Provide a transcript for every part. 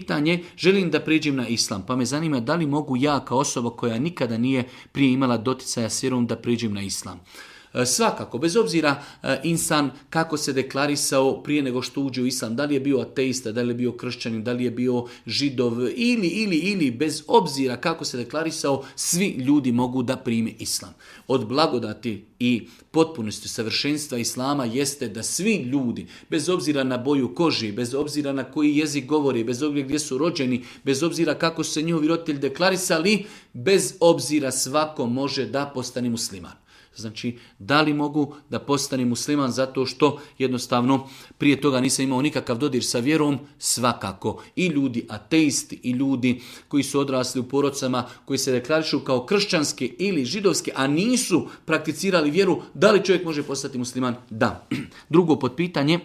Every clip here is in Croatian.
pitanje, želim da prijeđem na islam, pa me zanima da li mogu ja kao osoba koja nikada nije prije imala doticaja s vjerom da prijeđem na islam. Svakako, bez obzira insan kako se deklarisao prije nego što uđe u islam, da li je bio ateista, da li je bio kršćanin, da li je bio židov ili bez obzira kako se deklarisao, svi ljudi mogu da prime islam. Od blagodati i potpunosti savršenstva islama jeste da svi ljudi, bez obzira na boju kože, bez obzira na koji jezik govori, bez obzira gdje su rođeni, bez obzira kako su se njihovi roditelji deklarisali, bez obzira svako može da postane musliman. Znači, da li mogu da postanem musliman zato što jednostavno prije toga nisam imao nikakav dodir sa vjerom? Svakako. I ljudi ateisti, i ljudi koji su odrasli u porodcama, koji se deklarišu kao kršćanske ili židovske, a nisu prakticirali vjeru, da li čovjek može postati musliman? Da. Drugo potpitanje.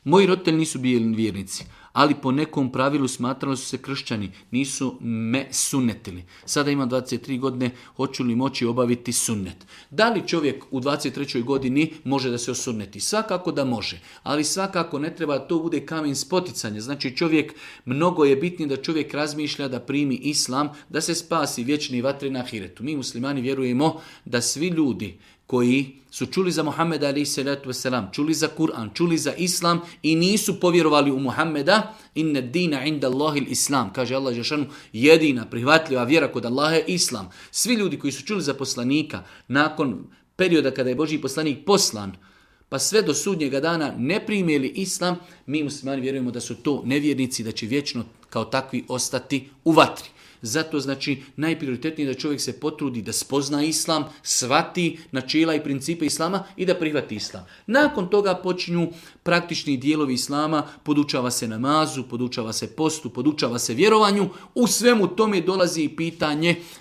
Moji roditelji nisu bili vjernici, ali po nekom pravilu smatrali su se kršćani, nisu me sunnetili. Sada imam 23 godine, hoću li moći obaviti sunnet? Da li čovjek u 23. godini može da se osunneti? Svakako da može, ali svakako ne treba to bude kamen spoticanja. Znači čovjek, mnogo je bitnije da čovjek razmišlja da primi islam, da se spasi vječni vatri na ahiretu. Mi muslimani vjerujemo da svi ljudi koji su čuli za Muhammeda a.s. čuli za Kur'an, čuli za Islam i nisu povjerovali u Muhammeda, inna dina inda Allahil Islam, kaže Allah dželešanu, jedina prihvatljiva vjera kod Allaha je Islam. Svi ljudi koji su čuli za poslanika nakon perioda kada je Božji poslanik poslan, pa sve do sudnjega dana ne primijeli Islam, mi muslimani vjerujemo da su to nevjernici, da će vječno kao takvi ostati u vatri. Zato znači najprioritetnije da čovjek se potrudi da spozna islam, shvati načela i principe islama i da prihvati islam. Nakon toga počinju praktični dijelovi islama, podučava se namazu, podučava se postu, podučava se vjerovanju. U svemu tome dolazi i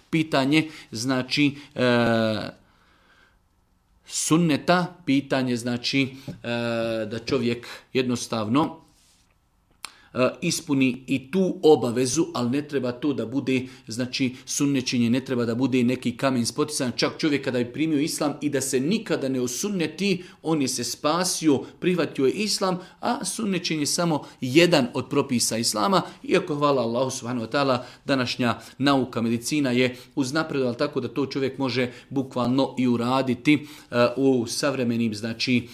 pitanje znači sunneta, pitanje znači da čovjek jednostavno ispuni i tu obavezu, ali ne treba to da bude, znači sunnečenje ne treba da bude neki kamen spotican. Čak čovjek kada je primio islam i da se nikada ne osunneti, on je se spasio, prihvatio je islam, a sunnečenje je samo jedan od propisa islama, iako hvala Allahu subhanahu wa ta'ala, današnja nauka, medicina je uznapredovala tako da to čovjek može bukvalno i uraditi u savremenim znači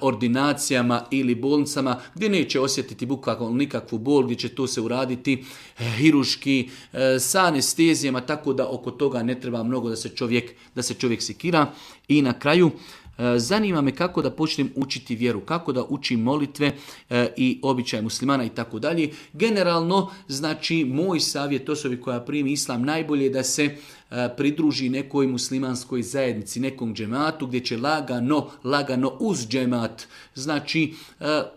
ordinacijama ili bolnicama gdje neće osjetiti bukvalno nikakvu bol, gdje će to se uraditi hiruški, sa anestezijama, tako da oko toga ne treba mnogo da se čovjek sekira. I na kraju, zanima me kako da počnem učiti vjeru, kako da učim molitve i običaje muslimana i tako dalje. Generalno, znači, moj savjet osobi koja primi islam, najbolje je da se pridruži nekoj muslimanskoj zajednici, nekom džematu gdje će lagano uz džemat, znači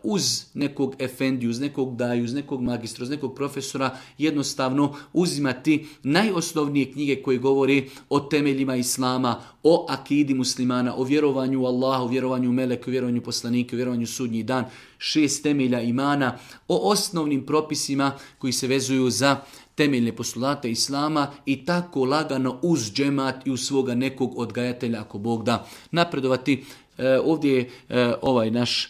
uz nekog efendiju, uz nekog daju, uz nekog magistra, uz nekog profesora, jednostavno uzimati najosnovnije knjige koje govore o temeljima islama, o akidi muslimana, o vjerovanju u Allahu, vjerovanju u meleke, vjerovanju poslanike, vjerovanju u sudnji dan, 6 temelja imana, o osnovnim propisima koji se vezuju za temeljne postulate islama i tako lagano uz džemat i uz svoga nekog odgajatelja, ako Bog da, napredovati. Ovdje je ovaj naš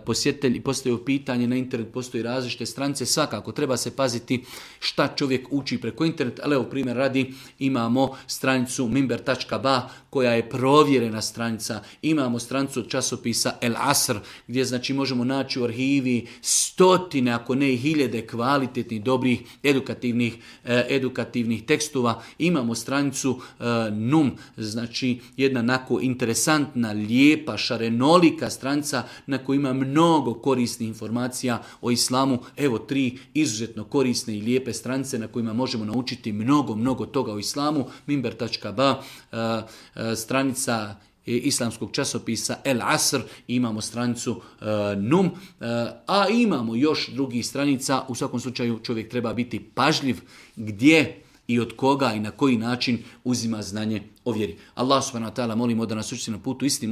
posjetitelj i postavio pitanje, na internet postoji različite stranice, svakako treba se paziti šta čovjek uči preko interneta, ali evo primjer radi, imamo stranicu minber.ba koja je provjerena stranica, imamo stranicu od časopisa El Asr gdje znači možemo naći u arhivi stotine, ako ne i hiljade kvalitetnih, dobrih, edukativnih tekstova, imamo stranicu NUM, znači jedna onako interesantna, lijepa, šarenolika stranica na kojoj ima mnogo korisnih informacija o islamu. Evo 3 izuzetno korisne i lijepe stranice na kojima možemo naučiti mnogo toga o islamu. Minber.ba, stranica islamskog časopisa El Asr, imamo stranicu NUM, a imamo još drugih stranica. U svakom slučaju čovjek treba biti pažljiv gdje i od koga i na koji način uzima znanje o vjeri. Allah subhanahu wa ta'ala molimo da nas učiti na putu istine.